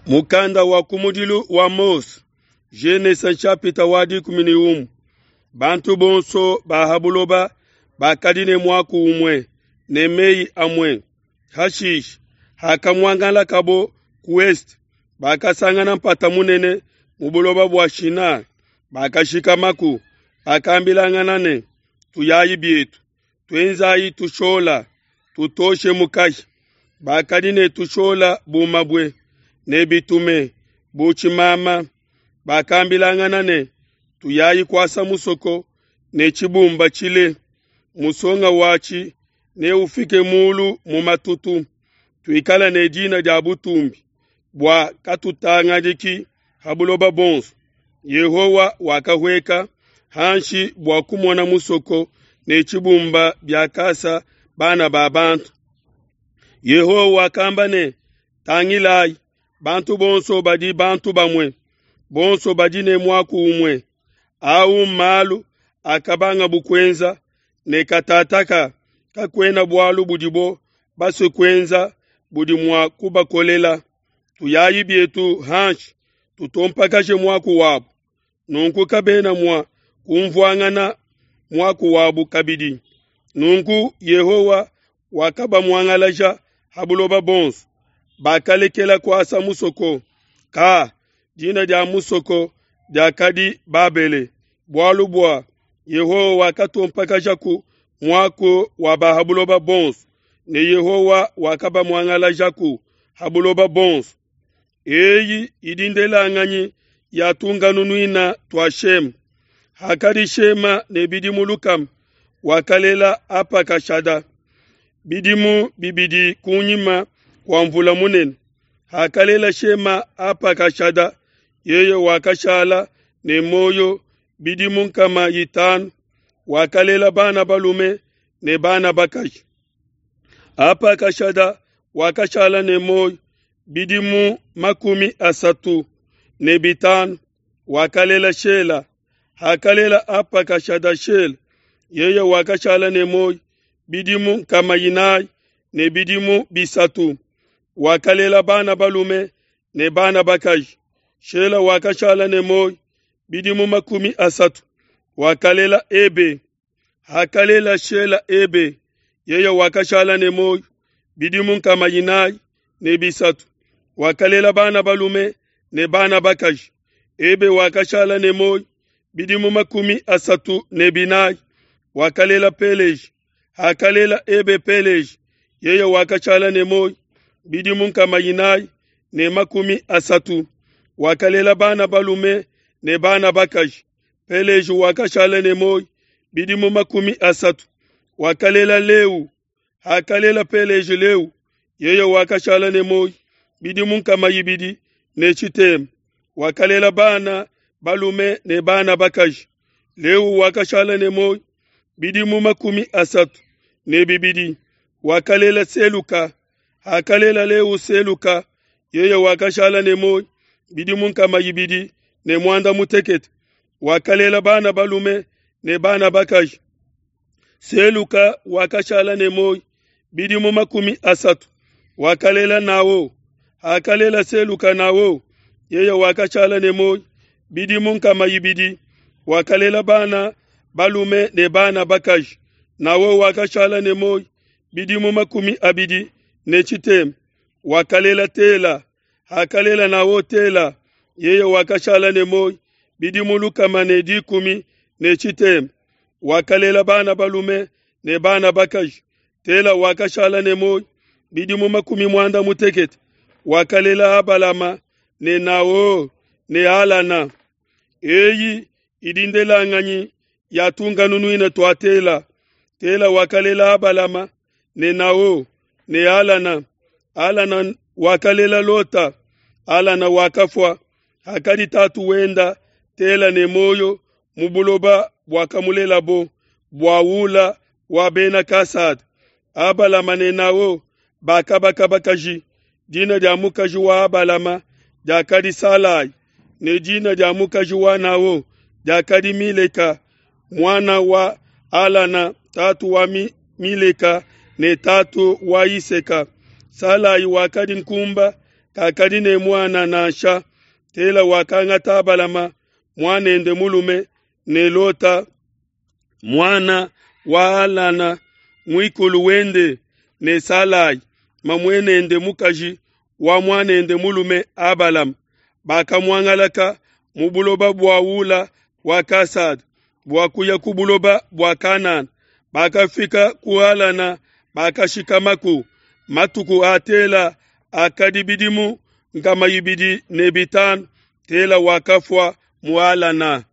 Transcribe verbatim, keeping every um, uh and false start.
Mukanda wa kumudilu wa Mose, Genese nshapita wa dikumi ne umue. Bantu bonso ba ha buloba bakadi ne muaku umue ne mei amue. Hashishe hakamuangalakabo ku esete, bakasangana mpata munene mu buloba bua Shina, bakashikamaku. Bakambilangana ne, tuyayi bietu, tuenzayi tushola, tutoshe mukashi. Bakadi ne tushola bu mabue ne bitume bu tshimama. Bakambilangana ne, tuyayi kuasa musoko ne tshibumba tshile, musonga watshi neufike mulu mu matutu. Tuikale ne dina dia butumbi bua katutangadiki ha buloba buonso. Yehowa wakahueka hanshi bua kumona musoko ne tshibumba biakasa bana ba bantu. Yehowa wakamba ne, tangilayi, bantu bonso badi bantu bamue, bonso badi ne muaku umue. Au mmalu akabangabu kuenza, ne katataka kakuena bualu budibo basue kuenza budi mua kubakolela. Tuyayi bietu hanshi, tutompakashe muaku wabu, nunku kabena mua kumvuangana muaku wabu kabidi. Nunku Yehowa wakabamuangalaja ha buloba bonso, bakalekela kuasa musoko. Ka dina dia musoko diakadi Babele, bualu bua Yehowa wakatompakashaku muaku wa ba ha buloba bonso, ne Yehowa wakabamuangalajaku ha buloba bonso. Eyi idi ndelanganyi ya tunkanunuina tua Shema. Hakadi Shema ne bidimu lukama, wakalela Apakashada. Bidimu bibidi kunyima kua mvula munene, hakalela Shema Apakashada, yeye wakashala ne muoyo bidimu nkama itanu, wakalela bana balume ne bana bakaji. Apakashada wakashala ne muoyo bidimu makumi asatu ne bitanu, wakalela Shela. Hakalela Apakashada Shela, yeye wakashala ne muoyo bidimu nkama inayi ne bidimu bisatu, wakalela bana balume ne bana bakaji. Shela wakashala ne muoyo bidimu makumi asatu, wakalela Ebe. Hakalela Shela Ebe, yeye wakashala ne muoyo bidimu nkama inayi ne bisatu, wakalela bana balume ne bana bakaji. Ebe wakashala ne muoyo bidimu makumi asatu ne binayi, wakalela Peleji. Hakalela Ebe Peleji, yeye wakashala ne muoyo bidimu nkama inayi ne makumi asatu, wakalela bana balume ne bana bakaji. Peleji wakashala ne muoyo bidimu makumi asatu, wakalela Leu. Hakalela Peleji Leu, yeye wakashala ne muoyo bidimu nkama ibidi ne tshitema, wakalela bana balume ne bana bakaji. Leu wakashala ne muoyo bidimu makumi asatu ne bibidi, wakalela Seluka. Hakalela Leu Seluka, yeye wakashala ne muoyo bidimu nkama ibidi ne muanda mutekete, wakalela bana balume ne bana bakaji. Seluka wakashala ne muoyo bidimu makumi asatu, wakalela Nao. Hakalela Seluka Nao, yeye wakashala ne muoyo bidimu nkama ibidi, wakalela bana balume ne bana bakaji. Nao wakashala ne muoyo bidimu makumi abidi ne tshitema, wakalela Tela. Hakalela Nao Tela, yeye wakashala ne muoyo bidimu lukama ne dikumi ne tshitema, wakalela bana balume ne bana bakaji. Tela wakashala ne muoyo bidimu makumi muanda mutekete, wakalela Abalama ne Nao ne Alana. Eyi idi ndelanganyi ya tunkanunuina tua Tela. Tela wakalela Abalama ne Nao ne Alana. Alana wakalela Lota. Alana wakafua hakadi tatu wenda Tela ne muoyo mu buloba buakamulelabo bua Ula wa Bena Kasada. Abalama ne Nao bakabaka bakaji. Dina dia mukaji wa Abalama diakadi Salai, ne dina dia mukaji wa Nao diakadi Mileka, mwana wa Alana, tatu wa Mileka ne tatu wa Iseka. Salai wakadi nkumba kakadi ne muana nansha. Tela wakangata Abalama muanende mulume ne Lota muana wa Halana muikulu wende ne Salai mamuenende mukaji wa muanende mulume Abalama, bakamuangalaka mu buloba bua Ula wa Kasada bua kuya ku buloba bua Kanana. Bakafika ku Halana, bakashikamaku. Matuku a Tela akadi bidimu nkama ibidi ne bitanu. Tela wakafua mu Halana.